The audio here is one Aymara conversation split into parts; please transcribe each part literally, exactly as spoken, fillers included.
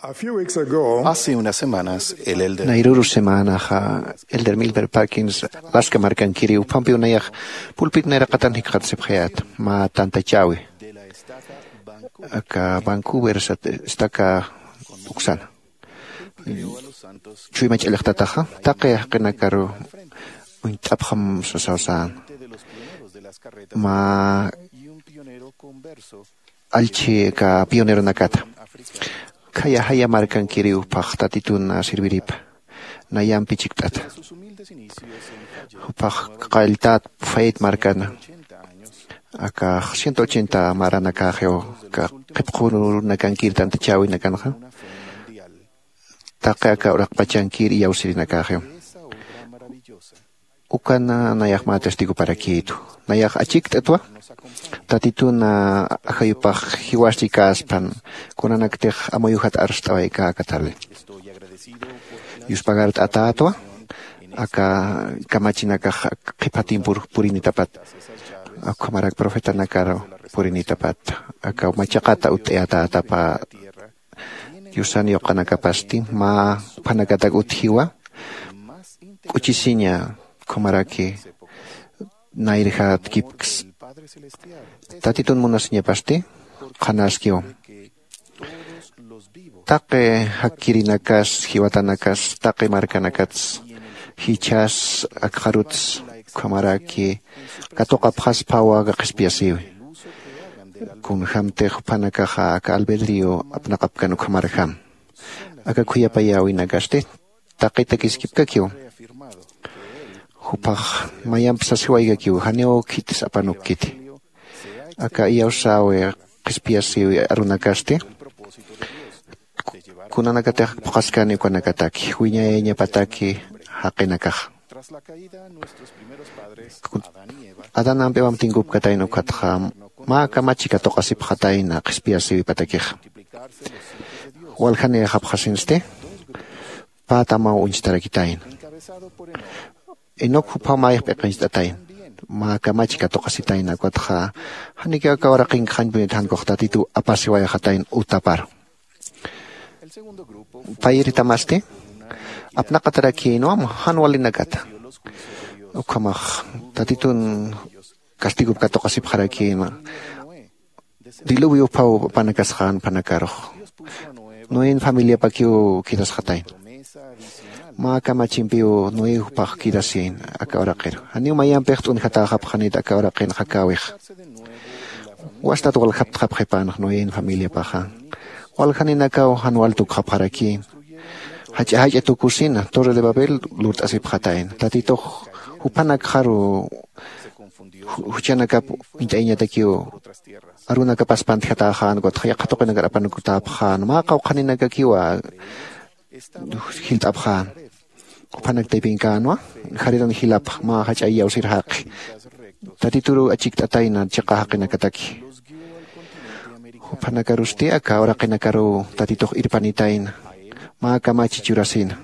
A few weeks ago, Hace unas semanas, el elder Nayruru semanaxa, Elder Milber Parkins, Alaska markankiri, uphampiw nayax pulpit nayraqatan jikxatasipxayät, mä tantachäwi. Aka Vancouver sat-, estaca uksana. Chuyma ch'allxtataxa, taqi jaqinakaru uñt'apxam sasaw sän. Mä allchhi aka pioneronakata. Khaya jaya markankiriw phax Tatitun sirviripa. Nayampi chikt'ata. Jupax qalltät Fayet markana. Aka ciento ochenta maranakaxiw, aka qhipqunakankir tantachäwinakanxa. Taqi aka uraqpachankir iyawsirinakäxiw. Ukan nayax mä testiguparakïtu. Nayax achikt'atwa. Tatitun ajayupax jiwasti kaspan, kunanaktix amuyujat arst'awaykäkatali. Yuspagart'atätwa. Aka kamachinakax qhipa tiempur purinitapat, ukhamarak profetanakar purinitapat, aka machaqata utt'ayatätapa. Diosan yuqanakapasti mä juphanakatak utjiwa. K'uchisiña, ukhamaraki nayrjatkipks. Tatitun munasiñapasti qhanaskiw. Taqi jakkirinakas, jiwatanakas, taqi markanakats, jichhas, akxaruts, ukhamaraki katuqapxaspawa aka qhispiyasïwi. Kunjämtix juphanakaxa aka albedrío apnaqapkan ukhamarjam. Aka khuyapayäwinakasti taqitakiskipkakiw. Jupax mayamp sasiwaykakiw, janiw khitis apanukkiti. Aka iyawsäwi qhispiyasïwi arunakasti kunanakatix phuqhaskani ukanakataki, wiñayañapataki jaqinakaxa. Adán ampiwam tinkupkatayna ukatxa mä kamachi katuqasipxatayna qhispiyasïwipatakixa. Waljanïxapxasinsti pä tamaw uñstarakitayna. Enoc juphaw mayix p'iqincht'atayna. Mä kamachi katuqasitayna ukatxa, janiki aka uraqinkaxañpunit jan ukax Tatitu apasiwayxatayna utaparu. Payiritamasti apnaqatarakïnwa jan walinakata. Ukhamax Tatitun castigop katuqasipxarakïnwa. Diluvio juphaw apanakasxän juphanakarux. Noen familiapakiw quedasxatayna. Mä kamachimpiw Noé juphax quedasïna aka uraqiru. Janiw mayampix t'unjatäxapxanit aka uraqin jakäwix. Wastat waljaptxapxipänx Noen familiapaxa. Waljaninakaw jan wal tukxapxarakïna. Jach'a jach'a tukusina Torre de Babel lurt'asipxatayna. Tatitux juphanakxaru ju-, juchanakap uñt'ayañatakiw arunakapas pantjatäxän, ukatxa yaqha tuqinakar apanukutäpxän, mä qawqhaninakakiwa jilt'apxän. Juphanak taypinkänwa, jariran jilapx mä jach'a iyawsir jaqi. Tatituru achikt'atayna chiqa jaqinakataki. Juphanakarusti aka uraqinakaruw Tatitux irpanitayna, mä kamachi churasina.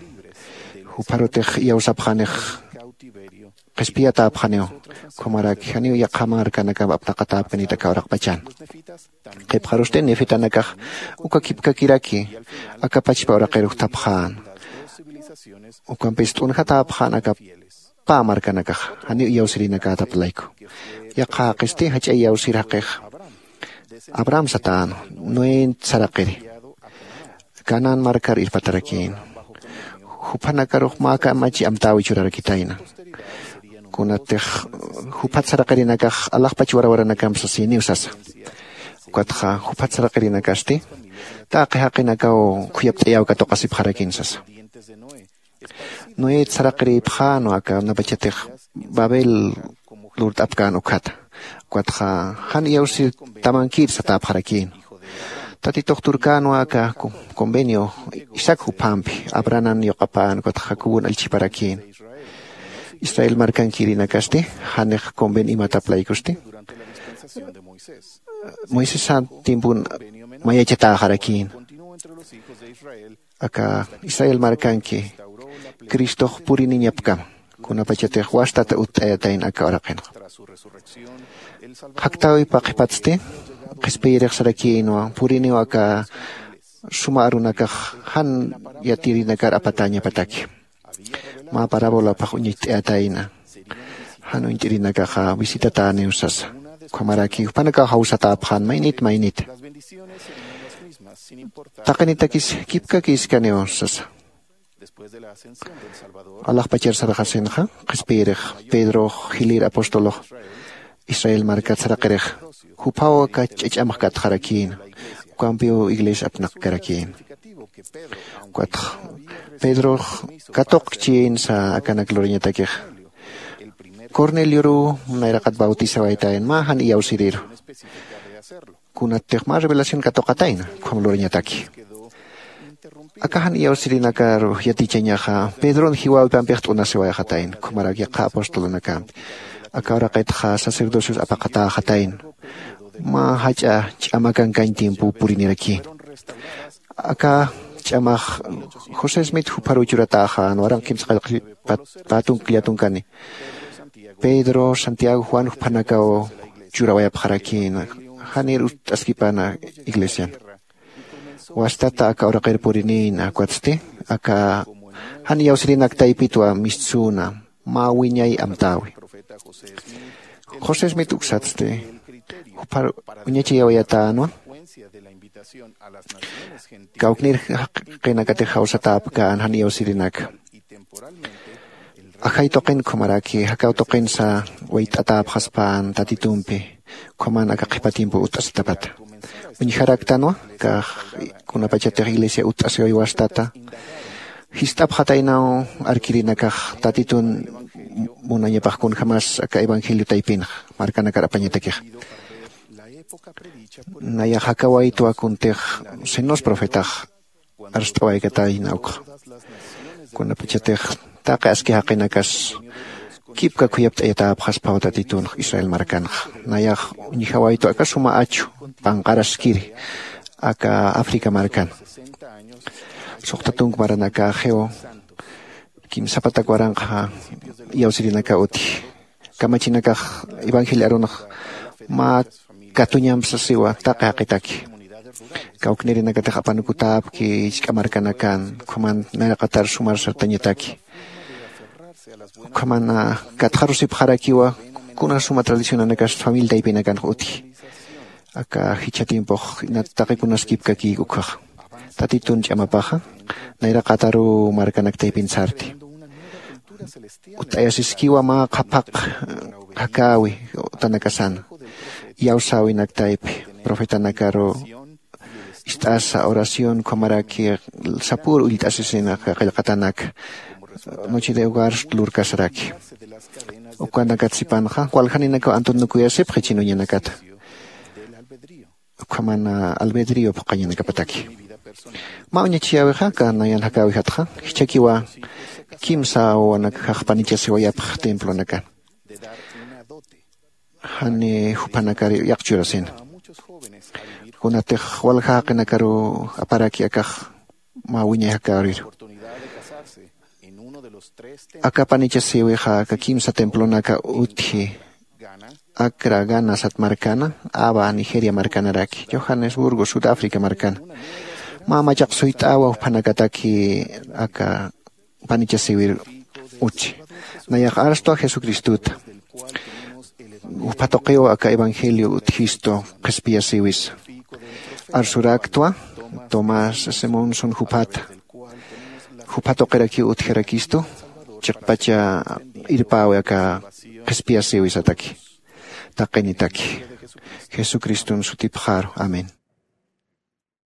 Jupharutix iyawsapxänix qhispiyatäpxaniw, ukhamaraki janiw yaqha markanakamp apnaqatäpkanit aka uraqpachan. Qhipxarusti nefitanakax uka kipkakiraki aka pachpa uraqir utjapxän. Ukampis t'unjatäpxän aka pä markanakax, janiw iyawsirinakätap layku. Yaqha jaqisti jach'a iyawsir jaqix Abraham satän, Noé saraqiri. Canaán markar irpatarakïna. Juphanakarux mä kamachi amtäwi churarakitayna. Kunatix juphat saraqirinakax alaxpach warawaranakamp sasïniw sasa. Ukatxa juphat saraqirinakasti taqi jaqinakaw khuyapt'ayäw katuqasipxarakïn sasa. Noé saraqirïpxänwa aka kunapachatix Babel lurt'apkän ukhata. Ukatxa jan iyawsir tamankir satäpxarakïn. Tatitux turkänwa aka co-, convenio Isaac juphampi, Abrahaman yuqapän, ukatxa Jacobon allchhiparakïn. Israel markankirinakasti janix convenio imatap laykusti Moisesan tiempon mayachatäxarakïn. Aka Israel markanki Cristox puriniñapkam, kunapachatix wastat utt'ayatayna aka uraqinxa. Jaktäwipa qhipatsti qhispiyirix sarakïnwa, puriniw aka suma arunakax jan yatirinakar apatañapataki. Mä parabolapx uñacht'ayatayna. Jan uñt'irinakaxa visitatäniw sasa. Ukhamaraki jupanakaw jawsatäpxän maynit maynit. Taqinitakis kipkakiskaniw sasa. Alaxpachar sarxasinxa qhispiyirix pedrox jilïr apostolox israel markat saraqirix juphaw aka ch'ach'amx katxarakïna. Ukampiw iglesia apnaqkarakïna. Ukatx pedrox katuqkchïnsa akanak lurañatakixa. Cornelioruw nayraqat bautisawaytayna mä jan iyawsiriru. Kunattix mä revelación katuqatayna ukham lurañataki. Aka jan iyawsirinakaru yatichañaxa pedron jiwäwipampix t'unasiwayxatayna ukhamarak yaqha apostolonakampi. Aka uraqitxa sacerdocios apaqatäxatayna. Mä jach'a ch'amakankañ tiempow purinirakïna. Aka ch'amax josé smith jupharuw churatäxän waranq kimsa qallqi pätunk llatunkani. Pedro santiago juan juphanakaw churawayapxarakïna. Janir utt'askipana iglesian. Wastata aka uraqir purinïna ukatsti aka jan iyawsirinak taypitwa mistsüna mä wiñay amtäwi. José smith uksatsti juphar uñachayawayatänwa. Kawknir jaqinakatix jawsatäpkän jan iyawsirinaka. Ajay tuqin ukhamaraki jakaw tuqinsa wayt'atäpxaspän tatitumpi. Ukhaman aka qhipa tiempo utt'asitapata uñjaraktanwa. Kax kunapachatix iglesia utt'asiway wastata jist'apxataynaw arkirinakax tatitun munañapax kunjämas aka evangelio taypinxa markanakar apañatakixa. Nayax jakawaytwa kuntix senos profetax arst'awaykatayna ukxa. Kunapachatix taqi aski jaqinakas kipka khuyapt'ayatäpxaspaw tatitunx israel markanxa. Nayax uñjawaytwa aka suma achu panqaraskiri aka africa markan. Suxta tunk maranakaxiw kimsapatak waranqa iyawsirinaka utji. Kamachinakax evangelio arunx mä katuñamp sasiwa taqi jaqitaki. Kawknirinakatix apanukutäpki jisk'a markanakan ukhaman nayraqatar sumar sartañataki. Ukhaman katxarusipxarakiwa kuna suma tradicionanakas familia taypinakanx utji. Aka jichha tiempox taqi kunas kipkakïk ukkhaxa. Tatitun ch'amapaxa nayraqataruw markanak taypin sarti. Utt'ayasiskiwa mä qhaphaq jakäwi utanakasana. Iyawsäwinak taypi profetanakaruw ist'asa oración ukhamaraki sapür ullt'asisina qillqatanaka. Noche de hogar lurkasaraki. Ukanakat sipanxa waljaninakaw antunukuyasipxi chinuñanakata. Ukhaman albedrio phuqañanakapataki. Mä uñachiyäwixa aka nayan jakäwijatxa jichhakiwa kimsa wawanakajax panichasiwayapx templonakan. Jani juphanakar yaqchurasina. Kunatix walja jaqinakaruw aparaki akax mä wiñay jakäwiru. Aka panichasïwixa aka kimsa templonaka utji. Acra gana sat markana, ava nigeria markanaraki johannesburgo sudáfrica markana. Mä machaq suyt'awa juphanakataki aka panichasïwir utji. Nayax arstwa jesucristuta. Jupha tuqiw aka evangelio utjistu qhispiyasïwisa. Arsuraktwa tomás simonson juphata. Jupha tuqirakiw utjarakistu. Chiqpacha irpäwi aka qhispiyasïwisataki. Taqinitaki jesucriston sutipxaru. Amén.